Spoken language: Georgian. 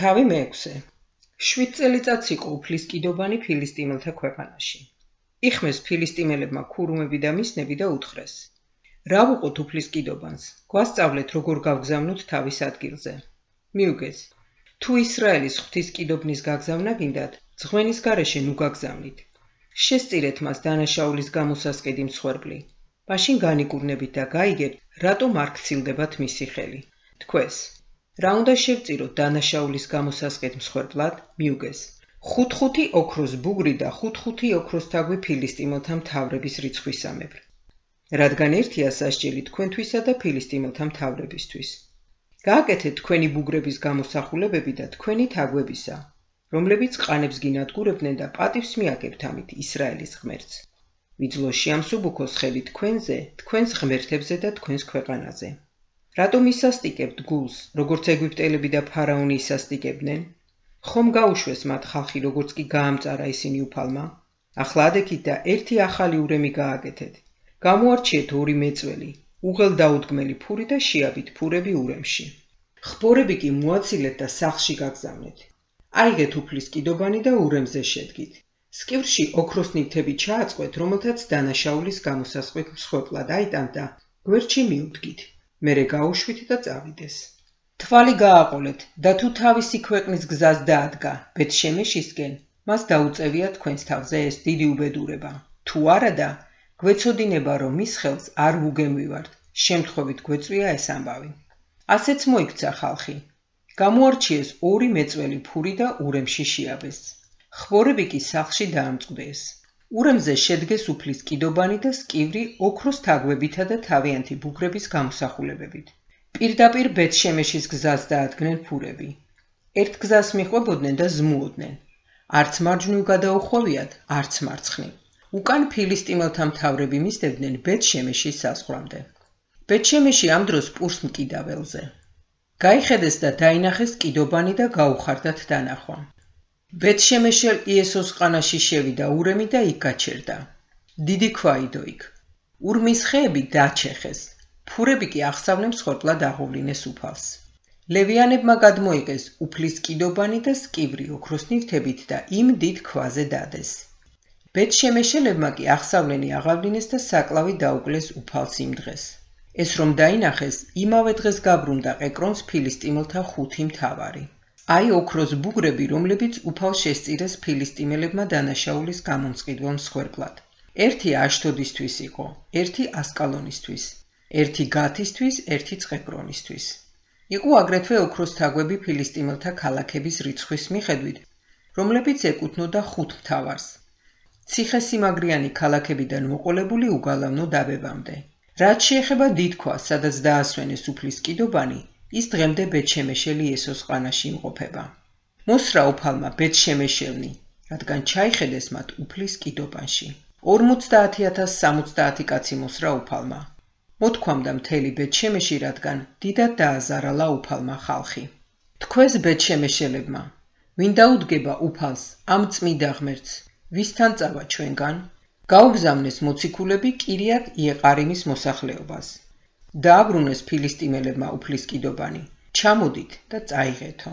თავი მეექვსე. 7 წელიწადს იყო უფლის კიდობანი ფილისტიმელთა ქვეყანაში. იხმეს ფილისტიმელებმა ქურუმები და მისნები და უთხრეს: რა ვუყოთ უფლის კიდობანს, გვასწავლეთ როგორ გავგზავნოთ თავის ადგილზე. მიუგეს, თუ ისრაელის ღვთის კიდობნის გაგზავნა გინდათ, ძღვენის გარეშე ნუ გაგზავნით. შესწირეთ მას დანაშაულის გამოსასყიდი მსხვერპლი. მაშინ განიკურნებით და გაიგებთ, რატომ არ გცილდებათ მისი ხელი. თქვეს: რა უნდა შევწიროთ დანაშაულის გამოსასყიდ მსხვერპლად? მიუგეს: 5 ოქროს ბუგრი და 5 ოქროს თაგვი ფილისტიმელთა მთავრების რიცხვისამებრ. რადგან ერთია სასჯელი თქვენთვისა და ფილისტიმელთა მთავრებისთვის. გააკეთეთ თქვენი ბუგრების გამოსახულებები და თქვენი თაგვებისა, რომლებიც ყანებს გინადგურებდნენ და პატივს მიაგებთ ამით ისრაელის ღმერთს. ვიძლო შეამსუბუქოს ხელი თქვენზე, თქვენს ღმერთებზე და თქვენს ქვეყანაზე. რატომ ისასტიკებთ გულს, როგორც ეგვიპტელები და ფარაონი ისასტიკებდნენ? ხომ გაუშვეს მათ ხალხი, როგორც კი გაამწარა ისინი უფალმა? ახლა ადექით და ერთი ახალი ურემი გააკეთეთ. გამოარჩიეთ 2 მეწველი, უღელ დაუდგმელი ფური და შეაბით ფურები ურემში. ხბორები კი მოაცილეთ და სახლში გაგზავნეთ. აიღეთ უფლის კიდობანი და ურემზე შედგით. სკივრში ოქროს ნივთები ჩააწყვეთ, რომელთაც დანაშაულის გამოსასყიდ მსხვერპლად აიტანთ და გვერდში მიუდგით. მერე გაუშვით და წავიდეს. თვალი გააყოლეთ და თუ თავისი ქვეყნის გზას დაადგა ბეთ-შემეშისკენ, მას დაუწევია თქვენს თავზე ეს დიდი უბედურება. თუ არადა, გვეცოდინება, რომ მის ხელს არ ვუგემვივართ, შემთხვევით გვეწვია ეს ამბავი. ასეც მოიქცა ხალხი. გამოარჩიეს 2 მეწველი ფური და ურემში შეაბეს. ხბორები კი სახლში დაამწყდეს. ურემზე შედგეს უფლის კიდობანი და სკივრი ოქროს თაგვებითა და თავიანთი ბუგრების გამოსახულებებით. პირდაპირ ბეთ-შემეშის გზას დაადგნენ ფურები. ერთ გზას მიყვებოდნენ და ზმუოდნენ. არც მარჯვნივ გადაუხვევიათ, არც მარცხნივ. უკან ფილისტიმელთა მთავრები მისდევდნენ ბეთ-შემეშის საზღვრამდე. ბეთ-შემეში ამ დროს პურს მკიდაველზე. გაიხედეს და დაინახეს კიდობანი და გაუხარდათ დანახვა. ბეთ-შემეშელ იესოს ყანაში შევიდა ურემი და იქ გაჩერდა. დიდი ქვაიდო იქ. ურმის ხეები დაჩეხეს. ფურები კი აღსავლემ მსხვერპლად აღოვლინეს უფალს. ლევიანებმა გადმოიღეს უფლის კიდობანი და სკივრი ოქროს ნივთებით და იმ დიდ ქვაზე დადეს. ბეთ-შემეშელებმა კი აღსავლენი აღავლინეს და საკლავი დაუკლეს უფალს იმ დღეს. ეს რომ დაინახეს, იმავე დღეს გაბრუნდა ყეკრონს ფილისტიმელთა 5 მთავარი. აი ოქროს ბუგრები, რომლებიც უფალს შესწირეს ფილისტიმელებმა დანაშაულის გამომწყიდველ მსხვერპლად. ერთი აშდოდისთვის იყო, ერთი ასკალონისთვის, ერთი გათისთვის, ერთი ყეკრონისთვის. იყო აგრეთვე ოქროს თაგვები ფილისტიმელთა ქალაქების რიცხვის მიხედვით, რომლებიც ეკუთვნოდა 5 მთავარს. ციხესიმაგრიანი ქალაქებიდან მოყოლებული უგალავნო დაბებამდე. რაც შეეხება დიდ ქვას, სადაც დაასვენეს უფლის კიდობანი, ის დღემდე ბეთ-შემეშელი იესოს ყანაში იმყოფება. მოსრა უფალმა ბეთ-შემეშელნი, რადგან ჩაიხედეს მათ უფლის კიდობანში. 50,070 კაცი მოსრა უფალმა. მოთქვამდა მთელი ბეთ-შემეში, რადგან დიდად დააზარალა უფალმა ხალხი. თქვეს ბეთ-შემეშელებმა, ვინ დაუდგება უფალს ამ წმიდა ღმერთს, ვისთან წავა ჩვენგან? გაუგზავნეს მოციქულები კირიათ იეყარიმის მოსახლეობას. დააბრუნეს ფილისტიმელებმა უფლის კიდობანი. ჩამოდით და წაიღეთო.